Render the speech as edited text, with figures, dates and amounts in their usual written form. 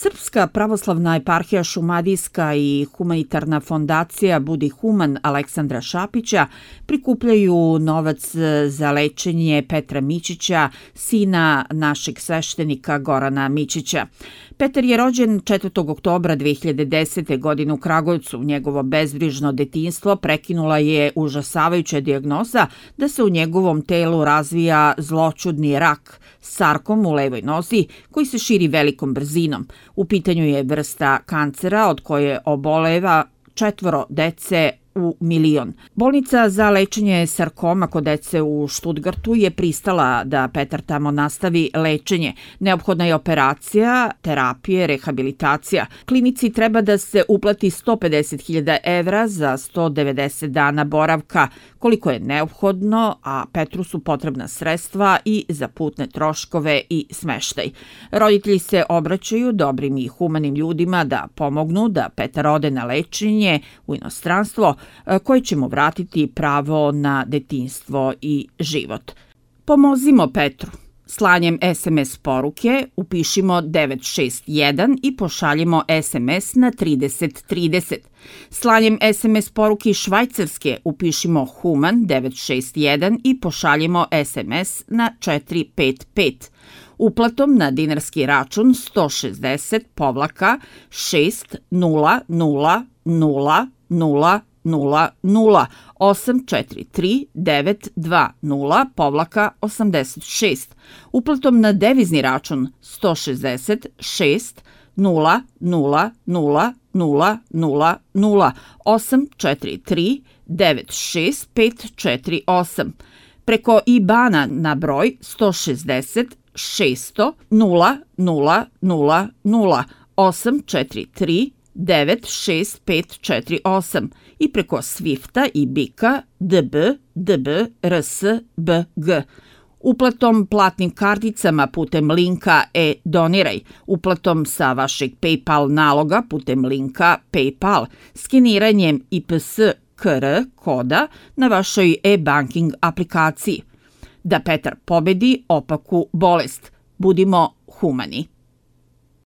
Srpska pravoslavna eparhija Šumadijska i humanitarna fondacija Budi Human Aleksandra Šapića prikupljaju novac za lečenje Petra Mićića, sina našeg sveštenika Gorana Mićića. Petar je rođen 4. oktobra 2010. godine u Kragujevcu. Njegovo bezbrižno detinjstvo prekinula je užasavajuća dijagnoza da se u njegovom telu razvija zloćudni rak, sarkom u levoj nozi koji se širi velikom brzinom. U pitanju je vrsta kancera od koje oboleva 4 dece u milion. Bolnica za lečenje sarkoma kod dece u Štutgartu je pristala da Petar tamo nastavi lečenje. Neophodna je operacija, terapije, rehabilitacija. Klinici treba da se uplati 150.000 evra za 190 dana boravka, koliko je neophodno, a Petru su potrebna sredstva i za putne troškove i smeštaj. Roditelji se obraćaju dobrim i humanim ljudima da pomognu da Petar ode na lečenje u inostranstvo, koji će mu vratiti pravo na detinjstvo i život. Pomozimo Petru. Slanjem SMS poruke upišimo 961 i pošaljimo SMS na 3030. Slanjem SMS poruke iz Švajcarske upišimo Human 961 i pošaljimo SMS na 455. Uplatom na dinarski račun 160 Uplatom na devizni račun 160 preko IBANA na broj 160 600 000 843 96548 i preko Swifta i BIK-a DB RS BG. Uplatom platnim karticama putem linka e-doniraj, uplatom sa vašeg PayPal naloga putem linka PayPal, skeniranjem IPS QR koda na vašoj e-banking aplikaciji. Da Petar pobedi opaku bolest. Budimo humani.